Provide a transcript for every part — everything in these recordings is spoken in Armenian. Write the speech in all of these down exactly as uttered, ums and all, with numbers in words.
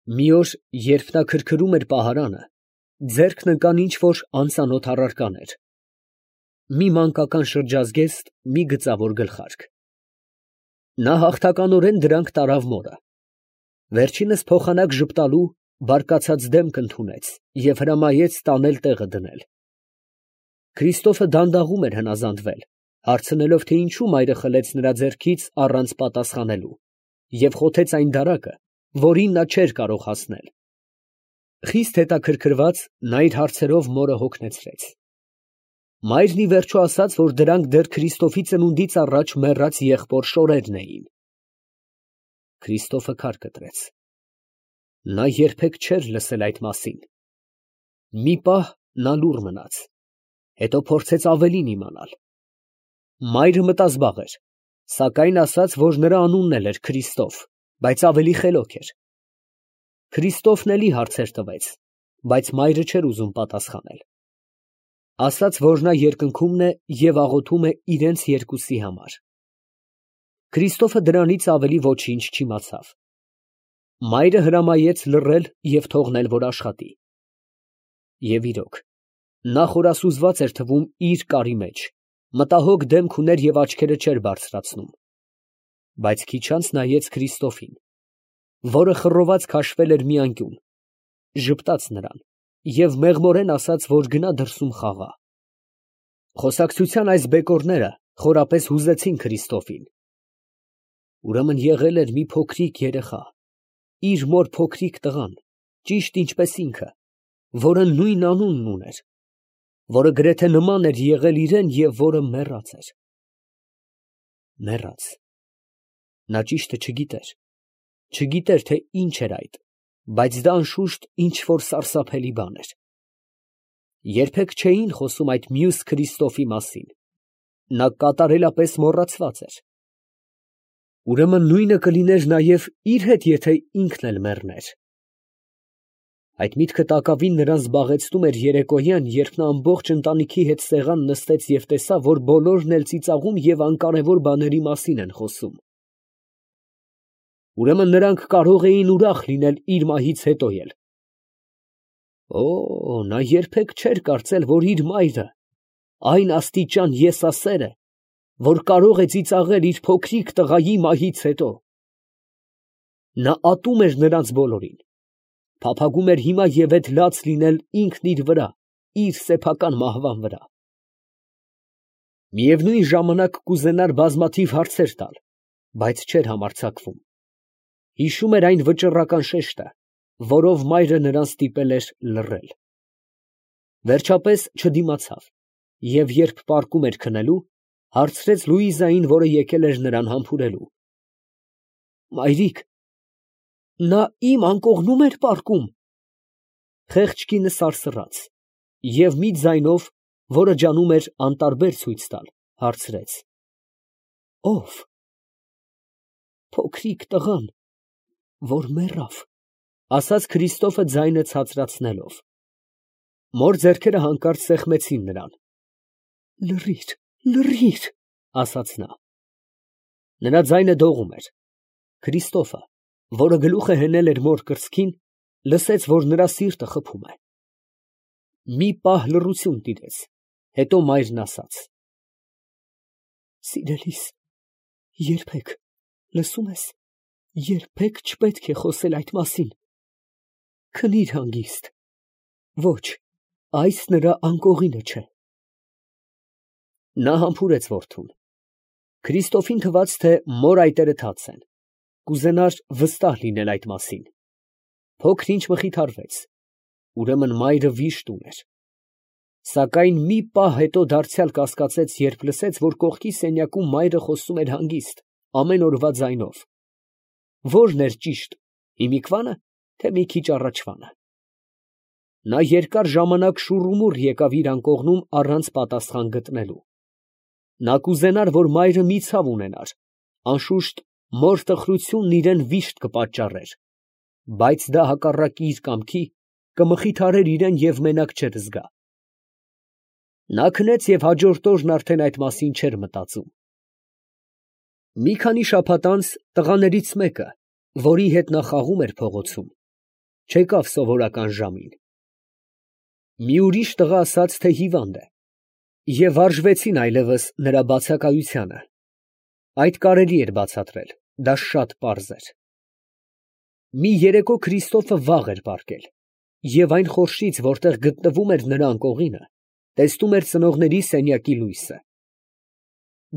Մի օր, երբ նա քրքրում էր պահարանը, ձեռքն ընկան ինչ֊որ անծանոթ առարկաներ. մի մանկական շրջազգեստ, մի գծավոր գլխարկ. նա հաղթականորեն դրանք տարավ մորը. վերջինս փոխանակ ժպտալու, բարկացած դեմք ընդունեց և հրամայեց տանել տեղը դնել։ Քրիստոֆը դանդաղում էր հնազանդվել, հարցնելով, թե ինչու մայրը խլեց նրա ձեռքից առանց պատասխանելու և խոթեց այն դարակը, որին նա չէր կարող հասնել։ Խիստ հետաքրքրված, նա իր հարցերով մորը հոգնեցրեց։ Մայրն ի վերջո ասաց, որ դրանք դեռ Քրիստոֆի ծնունդից առաջ մեռած եղբոր շորերն էին։ Քրիստոֆը քար կտրեց։ Նա երբեք չէր լսել այդ մասին։ Մի պահ նա լուռ մնաց, հետո փորձեց ավելին իմանալ։ Մայրը մտազբաղ էր, սակայն ասաց, որ նրա անունն էլ էր Քրիստոֆ, բայց ավելի խելոք էր։ Քրիստոֆն էլի հարցեր տվեց, բայց մայրը չէր ուզում պատասխանել։ Ասաց, որ նա երկնքումն է և աղոթում է իրենց երկուսի համար։ Քրիստոֆը դրանից ավելի ոչինչ չիմացավ։ Մայրը հրամայեց լռել և թողնել, որ աշխատի։ Եվ իրոք, նա խորասուզված էր թվում իր կարի մեջ, մտահոգ դեմք ուներ և աչքերը չէր բարձրացնում։ Բայց քիչ անց նայեց Քրիստոֆին, որը խռոված քաշվել էր մի անկյուն, ժպտաց նրան և մեղմորեն ասաց, որ գնա դրսում խաղա։ Խոսակցության այս բեկորները խորապես հուզեցին Քրիստոֆին։ Ուրեմն եղել էր մի փոքրիկ երեխա, իր մոր փոքրիկ տղան, ճիշտ ինչպես ինքը, որը նույն անունն ուներ, որը գրեթե նման էր եղել իրան և որը մեռած էր։ Մեռած։ Նա ճիշտը չգիտեր, չգիտեր, թե ինչ էր այդ, բայց դա անշուշտ ինչ֊որ սարսափելի բան էր։ Երբեք չէին խոսում այդ մյուս Քրիստոֆի մասին, նա կատարելապես մոռացված էր։ Ուրեմն նույնը կլիներ նաև իր հետ, եթե ինքն էլ մեռներ։ Այդ միտքը տակավին նրան զբաղեցնում էր երեկոյան, երբ նա ամբողջ ընտանիքի հետ սեղան նստեց և տեսավ, որ բոլորն էլ ծիծաղում և անկարևոր բաների մասին են խոսում։ Ուրեմն նրանք կարող էին ուրախ լինել իր մահից հետո էլ։ Օ, նա երբեք չէր կարծել, որ իր մայրը այն աստիճան եսասեր է, որ կարող է ծիծաղել իր փոքրիկ տղայի մահից հետո։ Նա ատում էր նրանց բոլորին, փափագում էր հիմա և էդ լաց լինել ինքն իր վրա, իր սեփական մահվան վրա։ Միևնույն ժամանակ կուզենար բազմաթիվ հարցեր տալ, բայց չէր համարձակվում։ Հիշում էր այն վճռական շեշտը, որով մայրը նրան ստիպել էր լռել։ Վերջապես չդիմացավ և երբ պառկում էր քնելու, հարցրեց Լուիզային, որը եկել էր նրան համբուրելու. Մայրիկ, նա իմ անկողնու՞մ էր պառկում։ Խեղճ կինը սարսռաց և մի ձայնով, որը ջանում էր անտարբեր ցույց տալ, հարցրեց. Ո՞վ։ Փոքրիկ տղան, որ մեռավ, ասաց Քրիստոֆը ձայնը ցածրացնելով։ Մոր ձեռքերը հանկարծ սեղմեցին նրան։ Լռիր, լռիր, ասաց նա։ Նրա ձայնը դողում էր։ Քրիստոֆը, որը գլուխը հենել էր մոր կրծքին, լսեց, որ նրա սիրտը խփում է։ Մի պահ լռություն տիրեց, հետո մայրն ասաց. Սիրելիս, երբեք, լսում ես, երբեք չպետք է խոսել այդ մասին։ Քնիր հանգիստ։ Ոչ, այս նրա անկողինը չէ։ Նա համբուրեց որդուն։ Քրիստոֆին թվաց, թե մոր այտերը թաց են, կուզենար վստահ լինել այդ մասին։ Փոքր ինչ մխիթարվեց, ուրեմն մայրը վիշտ ուներ։ Սակայն մի պահ հետո դարձյալ կասկածեց, երբ լսեց, որ կողքի սենյակում մայրը խոսում էր հանգիստ, ամեն օրվա ձայնով։ Ո՞րն էր ճիշտ, հիմիկվա՞նը, թե մի քիչ առաջվանը։ Նա երկար ժամանակ շուռումուռ եկավ իր անկողնում առանց պատասխան գտնելու։ Նա կուզենար, որ մայրը մի ցավ ունենար, անշուշտ մոր տխրությունն իրան վիշտ կպատճառեր, բայց դա հակառակ իր կամքի կմխիթարեր իրան և մենակ չէր զգա։ Նա քնեց և հաջորդ օրն արդեն այդ մասին չէր մտածում։ Մի քանի շաբաթ անց տղաներից մեկը, որի հետ նա խաղում էր փողոցում, չեկավ սովորական ժամին։ Մի ուրիշ տղա ասաց, թե հիվանդ է, և արժվեցին այլևս նրա բացակայությանը։ Այդ կարելի էր բացատրել, դա շատ պարզ էր։ Մի երեկո Քրիստոֆը վաղ էր պառկել, և այն խորշից, որտեղ գտնվում էր նրա անկողինը, տեսնում էր ծնողների սենյակի լույսը։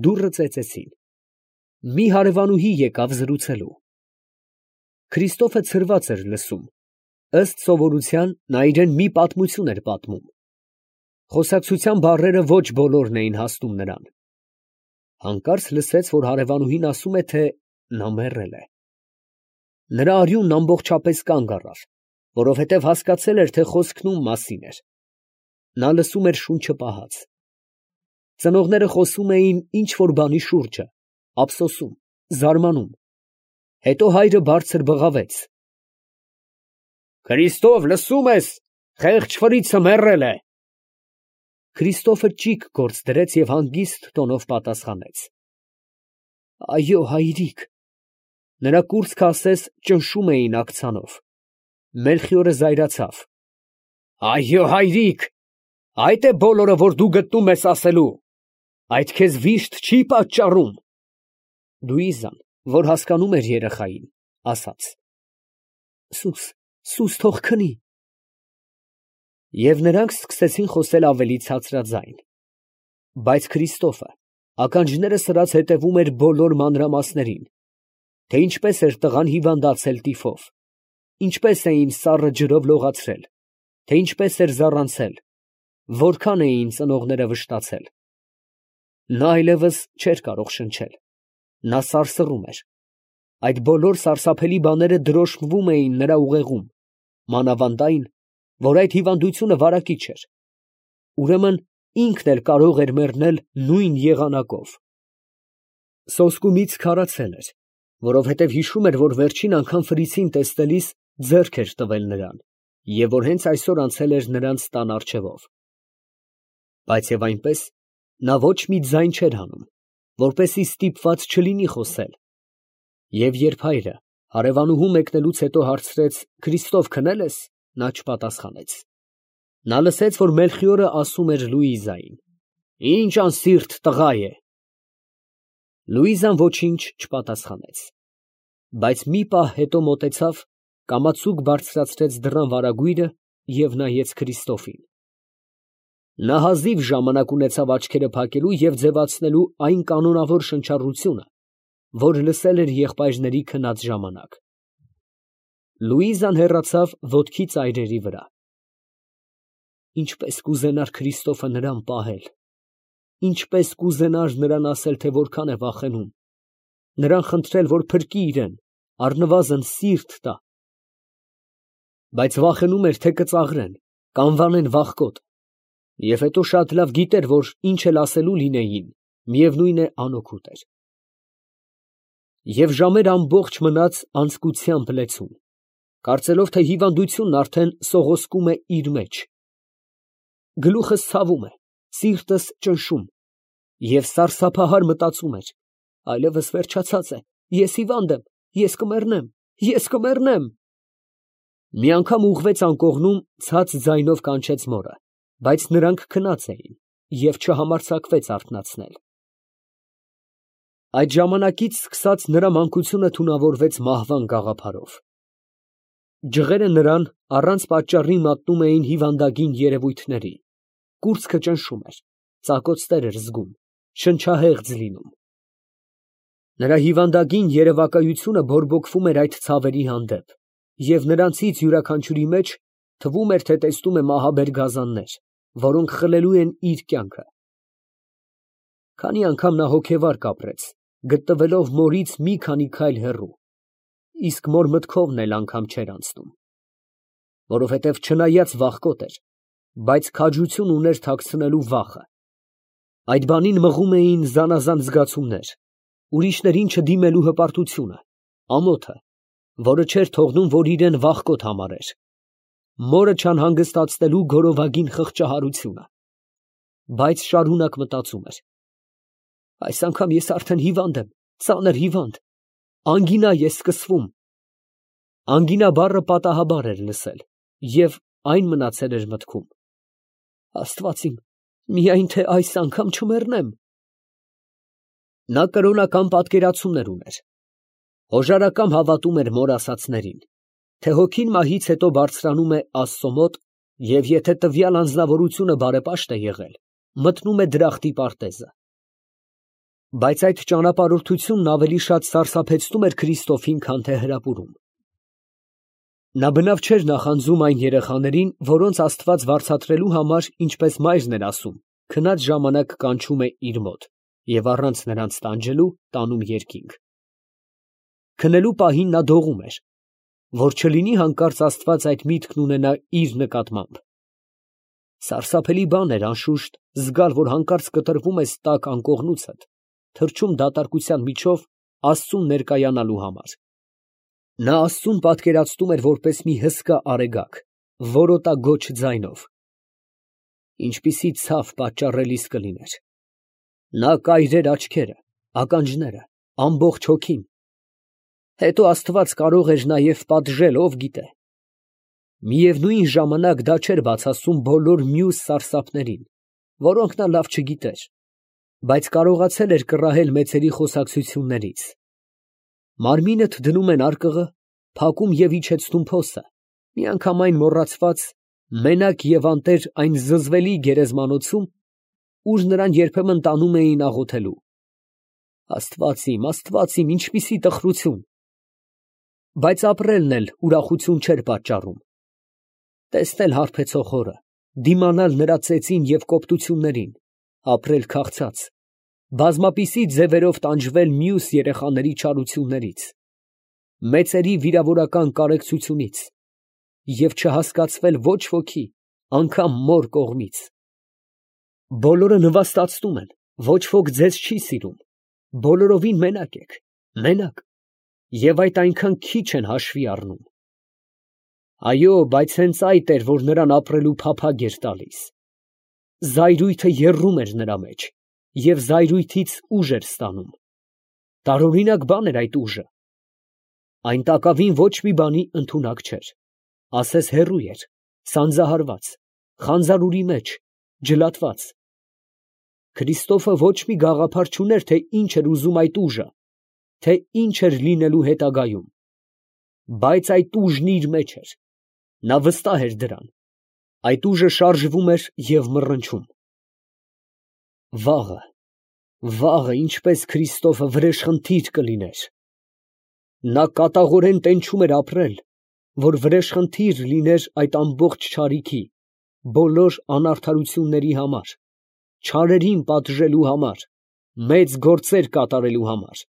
Դուռը ծեծեցին։ Մի հարևանուհի եկավ զրուցելու։ Քրիստոֆը ցրված էր լսում, ըստ սովորության նա իրան մի պատմություն էր պատմում։ Խոսակցության բառերը ոչ բոլորն էին հասնում նրան։ Հանկարծ լսեց, որ հարևանուհին ասում է, թե նա մեռել է։ Նրա արյունն ամբողջապես կանգ առավ, որովհետև հասկացել էր, թե խոսքն ում մասին էր։ Նա լսում էր շունչը պահած։ Ծնողները խոսում էին ինչ֊որ բանի շուրջը, ափսոսում, զարմանում։ Հետո հայրը բարձր բղավեց. «Քրիստոֆ, լսո՞ւմ ես, խեղճ ֆրիցը մեռել է»։ Քրիստոֆը ճիգ գործ դրեց և հանգիստ տոնով պատասխանեց. «Այո, հայրիկ»։ Նրա կուրծքը ասես ճնշում էին աքցանով։ Մելխիորը զայրացավ. «Այո, հայրիկ, այդ է բոլորը, որ դու գտնում ես ասելու, այդ քեզ վիշտ չի պատճառում»։ Լուիզան, որ հասկանում էր երեխային, ասաց. «Սուս, սուս թող քնի»։ Եվ նրանք սկսեցին խոսել ավելի ցածրաձայն։ Բայց Քրիստոֆը ականջները սրած հետևում էր բոլոր մանրամասներին, թե ինչպես էր տղան հիվանդացել տիֆով, ինչպես էին սառը ջրով լողացրել, թե ինչպես էր զառանցել, որքան էին ծնողները վշտացել։ Նա այլևս չէր կարող շնչել, նա սարսռում էր։ Այդ բոլոր սարսափելի բաները դրոշմվում էին նրա ուղեղում, մանավանդ այն, որ այդ հիվանդությունը վարակիչ էր։ Ուրեմն ինքն էլ կարող էր մեռնել նույն եղանակով։ Սոսկումից քարացել էր, որովհետև հիշում էր, որ վերջին անգամ Ֆրիցին տեսնելիս ձեռք էր տվել նրան, և որ հենց այսօր անցել էր նրանց տան առջևով։ Բայց և այնպես նա ոչ մի ձայն չէր հանում, որպեսզի ստիպված չլինի խոսել։ Եվ երբ հայրը հարևանուհու մեկնելուց հետո հարցրեց. «Քրիստոֆ, քնել ես»։ Նա չպատասխանեց։ Նա լսեց, որ Մելխիորը ասում էր Լուիզային. «Ինչ անսիրտ տղա է»։ Լուիզան ոչինչ չպատասխանեց։ Բայց մի պահ հետո մոտեցավ, կամացուկ բարձրացրեց դռան վարագույրը և նայեց Քրիստոֆին։ Նա հազիվ ժամանակ ունեցավ աչքերը փակելու և ձևացնելու այն կանոնավոր շնչառությունը, որ լսել էր եղբայրների քնած ժամանակ։ Լուիզան հեռացավ ոտքի ծայրերի վրա։ Ինչպես կուզենար Քրիստոֆը նրան պահել, ինչպես կուզենար նրան ասել, թե որքան է վախենում, նրան խնդրել, որ փրկի իրեն, առնվազն սիրտ տա։ Բայց վախենում էր, թե կծաղրեն, կանվանեն վախկոտ, և հետո շատ լավ գիտեր, որ ինչ էլ ասելու լինեին, միևնույն է անօգուտ էր։ Եվ ժամեր ամբողջ մնաց անձկությամբ լեցուն, կարծելով, թե հիվանդությունն արդեն սողոսկում է իր մեջ։ Գլուխս ցավում է, սիրտս ճնշում, և սարսափահար մտածում էր. այլևս վերջացած է, ես հիվանդ եմ, ես կմեռնեմ, ես կմեռնեմ։ Մի անգամ ուղղվեց անկողնում, ցած ձայնով կանչեց մորը, բայց նրանք քնած էին և չհամարձակվեց արթնացնել։ Այդ ժամանակից սկսած նրա մանկությունը թունավորվեց մահվան գաղափարով։ Ջղերը նրան առանց պատճառի մատնում էին հիվանդագին երևույթների, կուրծքը ճնշում էր, ծակոցներ էր զգում, շնչահեղձ լինում։ Նրա հիվանդագին երևակայությունը բորբոքվում էր այդ ցավերի հանդեպ, և նրանցից յուրաքանչյուրի մեջ թվում էր, թե տեսնում է մահաբեր գազաններ, որոնք խլելու են իր կյանքը։ Քանի անգամ նա հոգևար կապրեց, գտնվելով մորից մի քանի քայլ հեռու, իսկ մոր մտքովն էլ անգամ չէր անցնում, որովհետև չնայած վախկոտ էր, բայց քաջություն ուներ թաքցնելու վախը։ Այդ բանին մղում էին զանազան զգացումներ, ուրիշներին չդիմելու հպարտությունը, ամոթը, որը չէր թողնում, որ իրեն վախկոտ համարեր, մորը չանհանգստացնելու գորովագին խղճահարությունը։ Բայց շարունակ մտածում էր. այս անգամ ես արդեն հիվանդ եմ, ծանր հիվանդ, անգինա է սկսվում։ Անգինա բառը պատահաբար էր լսել և այն մնացել էր մտքում։ Աստված իմ, միայն թե այս անգամ չմեռնեմ։ Նա կրոնական պատկերացումներ ուներ, հոժարակամ հավատում էր մոր ասածներին, թե հոգին մահից հետո բարձրանում է Աստծո մոտ և եթե տվյալ անձնավորությունը բարեպաշտ է եղել, մտնում է դրախտի պարտեզը։ Բայց այդ ճանապարհորդությունն ավելի շատ սարսափեցնում էր Քրիստոֆին, քան թե հրապուրում։ Նա բնավ չէր նախանձում այն երեխաներին, որոնց Աստված վարձատրելու համար, ինչպես մայրն էր ասում, քնած ժամանակ կանչում է իր մոտ և առանց նրանց տանջելու տանում երկինք։ Քնելու պահին նա դողում էր, որ չլինի հանկարծ Աստված այդ միտքն ունենա իր նկատմամբ։ Սարսափելի բան էր, անշուշտ, զգալ, որ հանկարծ կտրվում ես տաք անկողնուցդ, թռչում դատարկության միջով Աստծուն ներկայանալու համար։ Նա Աստծուն պատկերացնում էր որպես մի հսկա արեգակ, որոտագոչ ձայնով։ Ինչպիսի ցավ պատճառելիս կլիներ։ Նա կայրեր աչքերը, ականջները, ամբողջ հոգին։ Հետո Աստված կարող էր նաև պատժել, ով գիտե։ Միևնույն ժամանակ դա չէր բացասում բոլոր մյուս սարսափներին, որոնք նա լավ չգիտեր, բայց կարողացել էր կռահել մեծերի խոսակցություններից։ Մարմինդ դնում են արկղը, փակում և իջեցնում փոսը, միանգամայն մոռացված, մենակ և անտեր այն զզվելի գերեզմանոցում, ուր նրան երբեմն տանում էին աղոթելու։ Աստված իմ, Աստված իմ, ինչպիսի տխրություն։ Բայց ապրելն էլ ուրախություն չէր պատճառում։ Տեսնել հարբեցող հորը, դիմանալ նրա ծեծին և կոպտություններին, ապրել քաղցած, բազմապիսի ձևերով տանջվել մյուս երեխաների չարություններից, մեծերի վիրավորական կարեկցությունից և չհասկացվել ոչ ոքի, անգամ մոր կողմից։ Բոլորը նվաստացնում են, ոչ ոք ձեզ չի սիրում, բոլորովին մենակ եք, մենակ, և այդ այնքան քիչ են հաշվի առնում։ Այո, բայց հենց այդ էր, որ նրան ապրելու փափագ էր տալիս։ Զայրույթը եռում էր նրա մեջ և զայրույթից ուժ էր ստանում։ Տարօրինակ բան էր այդ ուժը։ Այն տակավին ոչ մի բանի ընդունակ չէր, ասես հեռու էր, սանձահարված, խանձարուրի մեջ, ջլատված։ Քրիստոֆը ոչ մի գաղափար չուներ, թե ինչ էր ուզում այդ ուժը, թե ինչ էր լինելու հետագայում։ Բայց այդ ուժն իր մեջ էր, նա վստահ էր դրան, այդ ուժը շարժվում էր և մռնչում։ Վաղը, վաղը ինչպես Քրիստոֆը վրեժխնդիր կլիներ։ Նա կատաղորեն տենչում էր ապրել, որ վրեժխնդիր լիներ այդ ամբողջ չարիքի, բոլոր անարդարությունների համար, չարերին պատժելու համար, մեծ գործեր կատարելու համար։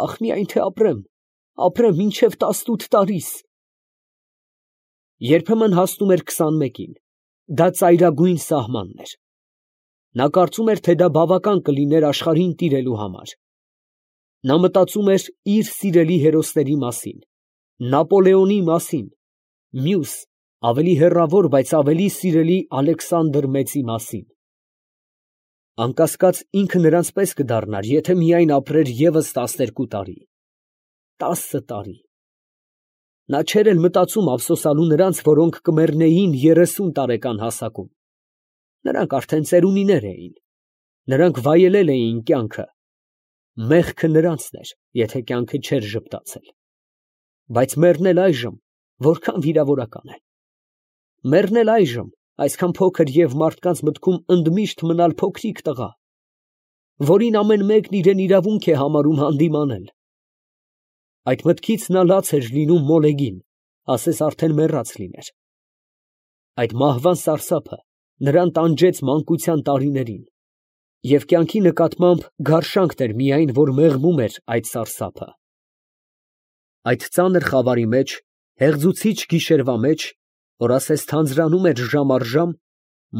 Ախ, միայն թե ապրեմ, ապրեմ մինչև տասնութ տարիս։ Երբեմն հասնում էր քսանմեկին, դա ծայրագույն սահմանն էր։ Նա կարծում էր, թե դա բավական կլիներ աշխարհին տիրելու համար։ Նա մտածում էր իր սիրելի հերոսների մասին, Նապոլեոնի մասին, մյուս, ավելի հեռավոր, բայց ավելի սիրելի Ալեքսանդր Մեծի մասին։ Անկասկած ինքը նրանց պես կդառնար, եթե միայն ապրեր ևս տասներկու տարի։ Տասը տարի։ Նա չէր էլ մտածում ափսոսանալու նրանց, որոնք կմեռնեին երեսուն տարեկան հասակում։ Նրանք արդեն ծերունիներ էին։ Նրանք վայելել էին կյանքը։ Մեղքը նրանցն էր, եթե կյանքը չէր ժպտացել։ Բայց մեռնել այժմ որքան վիրավորական է։ Մեռնել այժմ այսքան փոքր և մարդկանց մտքում ընդմիշտ մնալ փոքրիկ տղա, որին ամեն մեկն իրեն իրավունք է համարում հանդիմանել։ Այդ մտքից նա լաց էր լինում մոլեգին, ասես արդեն մեռած լիներ։ Այդ մահվան սարսափը նրան տանջեց մանկության տարիներին, և կյանքի նկատմամբ գարշանքն էր միայն, որ մեղմում էր այդ սարսափը։ Այդ ծանր խավարի մեջ, հեղձուցիչ գիշերվա մեջ, որ ասես թանձրանում էր ժամ առ ժամ,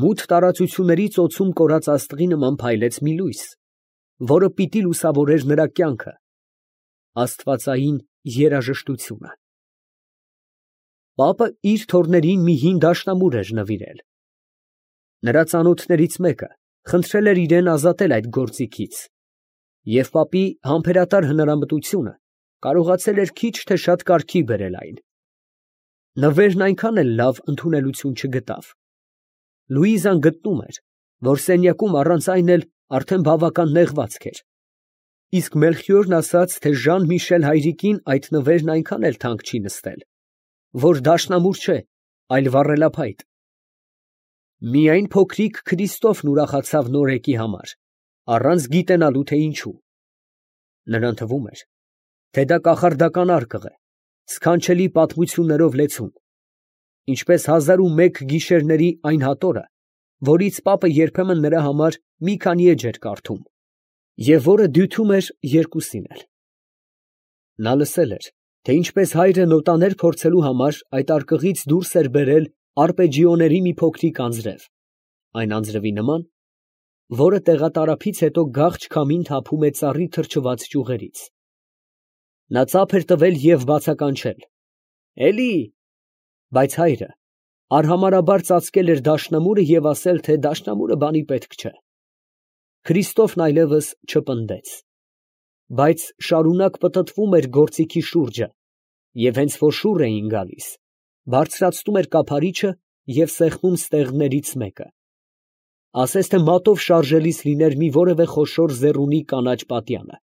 մութ տարածությունների ծոցում կորած աստղի նման փայլեց մի լույս, որը պիտի լուսավորեր նրա կյանքը, աստվածային երաժշտությունը։ Պապը իր թոռներին մի հին դաշնամուր էր նվիրել։ Նրա ծանոթներից մեկը խնդրել էր իրան ազատել այդ գործիքից, և պապի համբերատար հնարամտությունը կարողացել էր քիչ թե շատ կարգի բերել այն։ Նվերն այնքան էլ լավ ընդունելություն չգտավ։ Լուիզան գտնում էր, որ սենյակում առանց այն էլ արդեն բավական նեղվածք էր, իսկ Մելխիորն ասաց, թե Ժան֊Միշել հայրիկին այդ նվերն այնքան էլ թանկ չի նստել, որ դաշնամուր չէ, այլ վառելափայտ։ Միայն փոքրիկ Քրիստոֆն ուրախացավ նորեկի համար, առանց գիտենալու, թե ինչու։ Նրան թվում էր, թե դա կախարդական արկղ է, սքանչելի պատմություններով լեցուն, ինչպես հազար ու մեկ գիշերների այն հատորը, որից պապը երբեմն նրա համար մի քանի էջ էր կարդում, և որը դյութում էր երկուսին էլ։ Նա լսել էր, թե ինչպես հայրը նոտաներ փորձելու համար այդ արկղից դուրս էր բերել արպեջիոների մի փոքրիկ անձրև, այն անձրևի նման, որը տեղատարափից հետո գաղջ քամին թափում է ծառի թրջված ճյուղերից։ Նա ծափ էր տվել և բացականչել. «Էլի», բայց հայրը արհամարհաբար ծածկել էր դաշնամուրը և ասել, թե դաշնամուրը բանի պետք չէ։ Քրիստոֆն այլևս չպնդեց, բայց շարունակ պտտվում էր գործիքի շուրջը և հենց որ շուռ էին գալիս, բարձրացնում էր կափարիչը և սեղմում ստեղներից մեկը, ասես թե մատով շարժելիս լիներ մի որևէ խոշոր ձեռունի կանաչ պատյանը։